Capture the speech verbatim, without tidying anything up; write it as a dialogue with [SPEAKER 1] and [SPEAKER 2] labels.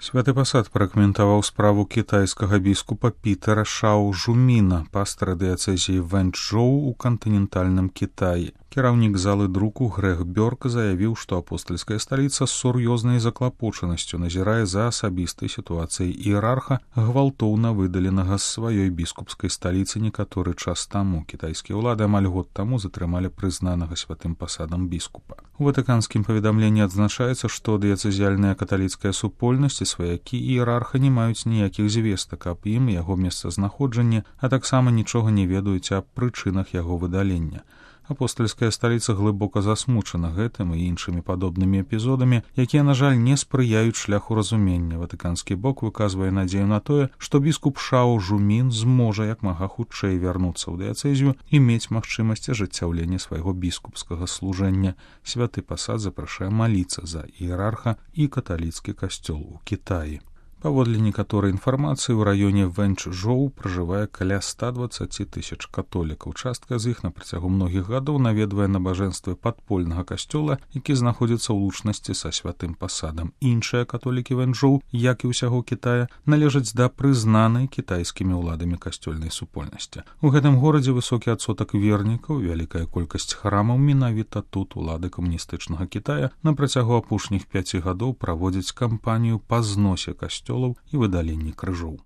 [SPEAKER 1] Святы пасад пракаментаваў справу кітайскага біскупа Пітера Шао Жуміна, пастара дыяцэзіі Вэньчжоу у кантынентальным Кітаі. Кіраўнік залы друку Грэг Бёрк заявіў, што апостальская сталіца з сур'ёзнай заклапочанасцю назірае за асабістай сітуацыяй іерарха, гвалтоўна выдаленага з сваёй біскупскай сталіцы некаторы час таму. Кітайскія ўлады амаль год таму затрымалі прызнанага святым пасадам біскупа. У ватыканскім паведамленні адзначаецца, што дыяцэзіяльная каталіцкая супольнасць і сваякі іерарха не маюць ніякіх звестак аб ім і яго месцазнаходжанні, а таксама нічога не ведаюць аб прычынах яго выдалення. Апостальская сталіца глыбока засмучана гэтым і іншымі падобнымі эпізодамі, якія, на жаль, не спрыяюць шляху разумення. Ватыканскі бок выказвае надзею на тое, што біскуп Шао Жумін зможа як мага хутчэй вярнуцца ў дыяцэзію і мець магчымасць ажыццяўлення свайго біскупскага служэння. Святы пасад запрашае маліцца за іерарха і каталіцкі касцёл у Кітаі. Паводле некаторай інфармацыі, у раёне Вэньчжоу пражывае каля ста дваццаць тысяч католікаў. Частка з іх на працягу многіх гадоў наведвае набажэнствы падпольнага касцёла, які знаходзіцца ў лучнасці са святым пасадам. Іншыя католікі Вэньчжоу, як і ўсяго Кітая, належаць да прызнанай кітайскімі ўладамі касцёльнай супольнасці. У гэтым горадзе высокі адсотак вернікаў, вялікая колькасць храмаў. Менавіта тут улады камуністычнага Кітая на працягу апошніх пяці гадоў праводзяць кампанію па зносе касцёла і выдаленні крыжоў.